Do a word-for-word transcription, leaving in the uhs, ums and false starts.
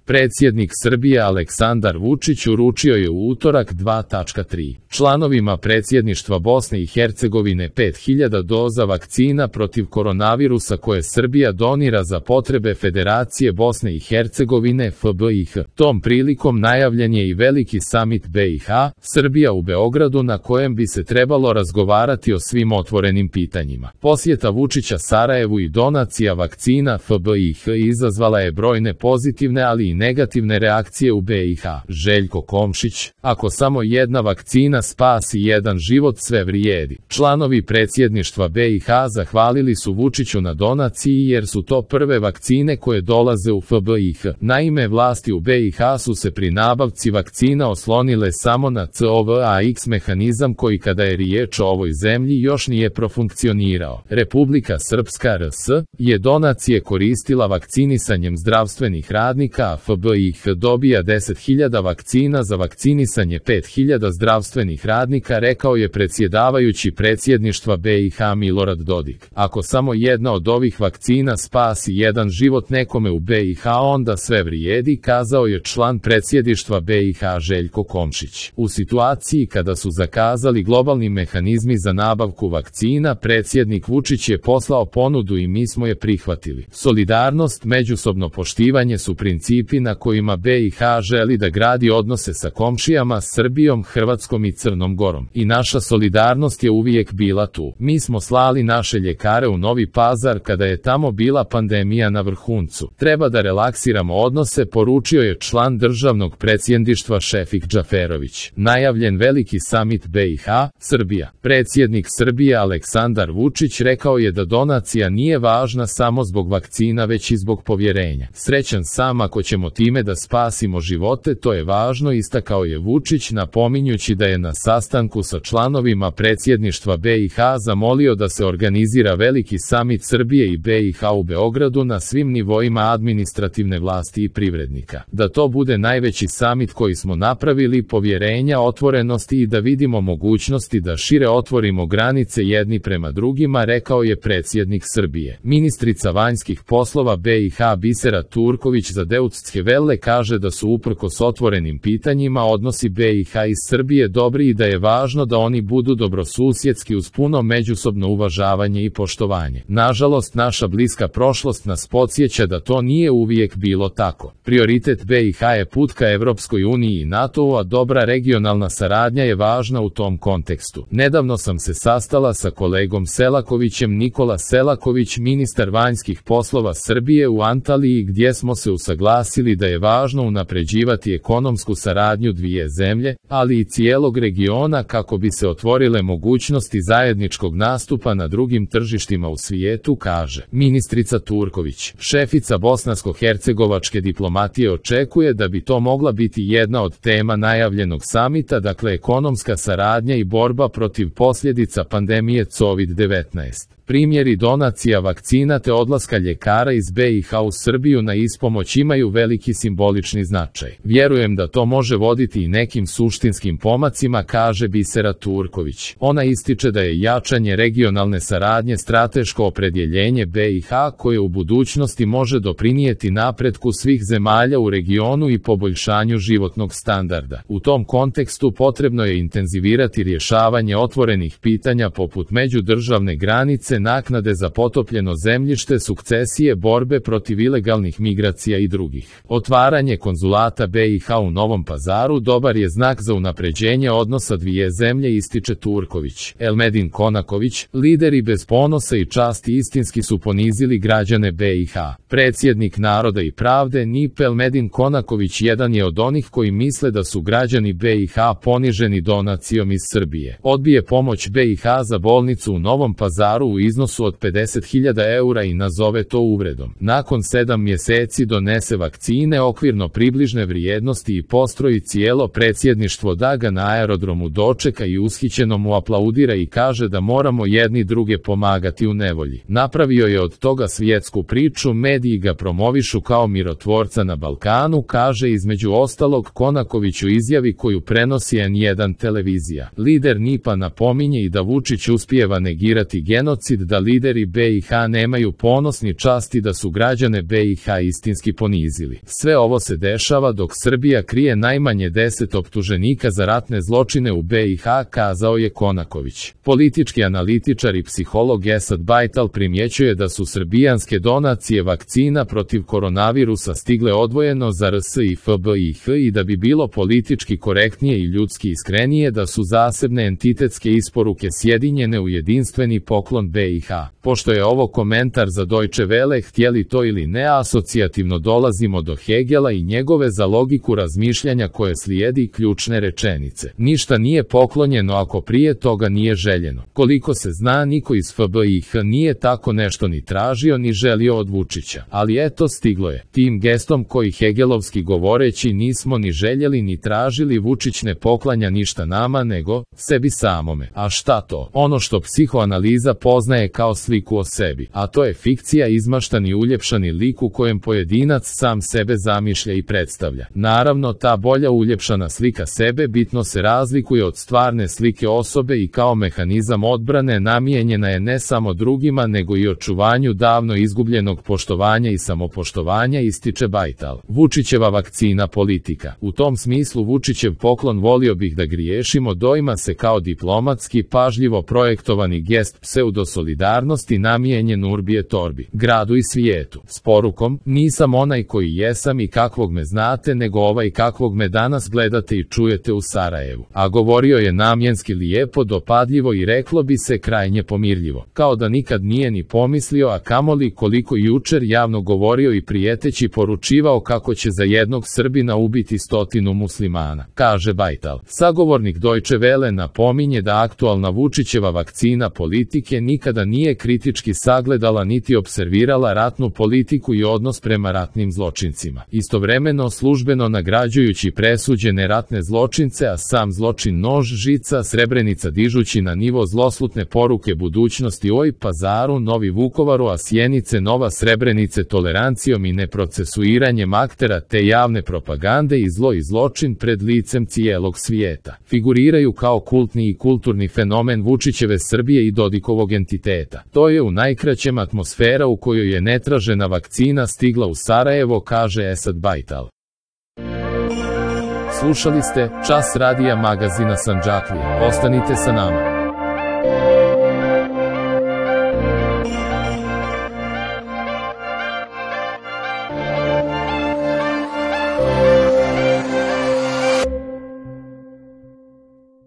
Predsjednik Srbije Aleksandar Vučić uručio je u utorak dva tačka tri članovima predsjedništva Bosne i Hercegovine pet hiljada doza vakcina protiv koronavirusa koje Srbija donira za potrebe Federacije Bosne i Hercegovine F B I H. Tom prilikom najavljen je i veliki samit B i H, Srbija u Beogradu na kojem bi se trebalo razgovarati o svim otvorenim pitanjima. Posjeta Vučića Sarajevu i donacija vakcina F B I H izazvala je brojne pozitivne ali i negativne reakcije u B i H. Željko Komšić: ako samo jedna vakcina spasi jedan život, sve vrijedi. Članovi predsjedništva B i H zahvalili su Vučiću na donaciji jer su to prve vakcine koje dolaze u F B I H. Naime, vlasti u B i H su se pri nabavci vakcina oslonile samo na C O V A X mehanizam koji kada je riječ o ovoj zemlji još nije profunkcionirao. Republika Srpska R S je donacije koristila vakcinisanjem zdravstvenih radnika, a F B I H dobija deset hiljada vakcina za vakcinisanje pet hiljada zdravstvenih radnika, rekao je predsjedavajući predsjedništva B i H Milorad Dodik. Ako samo jedna od ovih vakcina spasi jedan život nekome u B i H, onda sve vrijedi, kazao je član predsjedništva B i H Željko Komšić. U situaciji kada su zakazali globalni mehanizmi za nabavku vakcina, predsjednik Vučić je poslao ponudu i mi smo je prihvatili. Solidarnost, međusobno poštivanje su principi na kojima B i H želi da gradi odnose sa komšijama, Srbijom, Hrvatskom i Crnom Gorom. I naša solidarnost je uvijek bila tu. Mi smo slali naše ljekare u Novi Pazar kada je tamo bila pandemija na vrhuncu. Treba da relaksiramo odnose, poručio je član državnog predsjedništva Šefik Džaferović. Najavljen veliki samit B i H, Srbija. Predsjednik Srbije Aleksandar Vučić rekao je da donacija nije važna samo zbog vakcina već i zbog povjerenja. Srećan sam ako ćemo time da spasimo živote, to je važno, istakao je Vučić, napominjući da je na sastanku sa članovima predsjedništva B i H zamolio da se organizira veliki samit Srbije i B i H u Beogradu na svim nivoima administrativne vlasti i privrednika. Da to bude najveći samit koji smo napravili, povjerenja, otvorenosti i da vidimo mogućnosti da šire otvorimo granice jedni prema drugima, rekao je predsjednik Srbije. Ministrica vanjskih poslova B i H Bisera Turković za Deutsche Welle kaže da su uprkos otvorenim pitanjima odnosi B i H i Srbije dobri i da je važno da oni budu dobrosusjedski uz puno međusobno uvažavanje i poštovanje. Nažalost, naša bliska prošlost nas podsjeća da to nije uvijek bilo tako. Prioritet B i H je put ka Evropskoj uniji i NATO-u, a dobra regionalna saradnja je važna u tom kontekstu. Nedavno sam se sastala sa kolegom Selakovićem, Nikola Selaković, ministar vanjskih poslova Srbije, u Antaliji, gdje smo se usaglasili da je važno unapređivati ekonomsku saradnju dvije zemlje, ali i cijelog regiona kako bi se otvorile mogućnosti zajedničkog nastupa na drugim tržištima u svijetu, kaže ministrica Turković. Šefica bosansko-hercegovačke diplomatije očekuje da bi to mogla biti jedna od tema najavljenog samita, dakle ekonomska saradnja i borba protiv posljedica pandemije COVID devetnaest. Primjeri donacija vakcina te odlaska ljekara iz B i H u Srbiju na ispomoć imaju veliki simbolični značaj. Vjerujem da to može voditi i nekim suštinskim pomacima, kaže Bisera Turković. Ona ističe da je jačanje regionalne saradnje strateško opredjeljenje B i H koje u budućnosti može doprinijeti napretku svih zemalja u regionu i poboljšanju životnog standarda. U tom kontekstu potrebno je intenzivirati rješavanje otvorenih pitanja poput međudržavne granice, naknade za potopljeno zemljište, sukcesije, borbe protiv ilegalnih migracija i drugih. Otvaranje konzulata B i H u Novom Pazaru dobar je znak za unapređenje odnosa dvije zemlje, ističe Turković. Elmedin Konaković: lideri bez ponosa i časti istinski su ponizili građane B i H. Predsjednik Naroda i pravde N I P Elmedin Konaković jedan je od onih koji misle da su građani B i H poniženi donacijom iz Srbije. Odbije pomoć B i H za bolnicu u Novom Pazaru u iznosu od pedeset hiljada eura i nazove to uvredom. Nakon sedam mjeseci donese vakcine okvirno približne vrijednosti i postroji cijelo predsjedništvo da ga na aerodromu dočeka i ushićeno mu aplaudira i kaže da moramo jedni druge pomagati u nevolji. Napravio je od toga svjetsku priču, mediji ga promovišu kao mirotvorca na Balkanu, kaže između ostalog Konaković u izjavi koju prenosi N jedan televizija. Lider N I P-a napominje i da Vučić uspijeva negirati genocid genocid, da lideri B i H nemaju ponos ni čast i da su građane B i H istinski ponizili. Sve ovo se dešava dok Srbija krije najmanje deset optuženika za ratne zločine u B i H, kazao je Konaković. Politički analitičar i psiholog Esad Bajtal primjećuje da su srbijanske donacije vakcina protiv koronavirusa stigle odvojeno za R S i F B i H i da bi bilo politički korektnije i ljudski iskrenije da su zasebne entitetske isporuke sjedinjene u jedinstveni poklon B i H. Pošto je ovo komentar za Deutsche Welle, htjeli to ili ne, asocijativno dolazimo do Hegela i njegove za logiku razmišljanja koje slijedi ključne rečenice. Ništa nije poklonjeno ako prije toga nije željeno. Koliko se zna, niko iz F B i H nije tako nešto ni tražio ni želio od Vučića. Ali eto, stiglo je. Tim gestom koji hegelovski govoreći nismo ni željeli ni tražili, Vučić ne poklanja ništa nama nego sebi samome. A šta to? Ono što psihoanaliza poznaje kao sliku o sebi. A to je fikcija, izmaštani uljepšani lik u kojem pojedinac sam sebe zamišlja i predstavlja. Naravno, ta bolja uljepšana slika sebe bitno se razlikuje od stvarne slike osobe i kao mehanizam odbrane namijenjena je ne samo drugima nego i očuvanju davno izgubljenog poštovanja i samopoštovanja, ističe Bajtal. Vučićeva vakcina politika. U tom smislu Vučićev poklon, volio bih da griješimo, doima se kao diplomatski, pažljivo projektovani gest pseudosolidarnosti namijenjen urbi et orbi, gradu i svijetu, s porukom: nisam onaj koji jesam i kakvog me znate, nego ovaj kakvog me danas gledate i čujete u Sarajevu. A govorio je namjenski lijepo, dopadljivo i reklo bi se krajnje pomirljivo, kao da nikad nije ni pomislio, a kamoli koliko jučer javno govorio i prijeteći poručivao kako će za jednog Srbina ubiti stotinu muslimana, kaže Bajtal. Sagovornik Deutsche Welle napominje da aktualna Vučićeva vakcina politike nikada nije kritički sagledala niti observirala ratnu politiku i odnos prema ratnim zločincima, istovremeno službeno nagrađujući presuđene ratne zločince, a sam zločin nož, žica, Srebrenica dižući na nivo zloslutne poruke budućnosti oj Pazaru, Novi Vukovaru, a Sjenice, Nova Srebrenice, tolerancijom i neprocesuiranjem aktera te javne propagande i zlo i zločin pred licem cijelog svijeta. Figuriraju kao kultni i kulturni fenomen Vučićeve Srbije i Dodikovog entiteta. To je u najkraćem atmosfera u kojoj je netražena vakcina stigla u Sarajevo, kaže Esad Bajtal. Slušali ste Čas radija magazina Sandžaklija. Ostanite sa nama.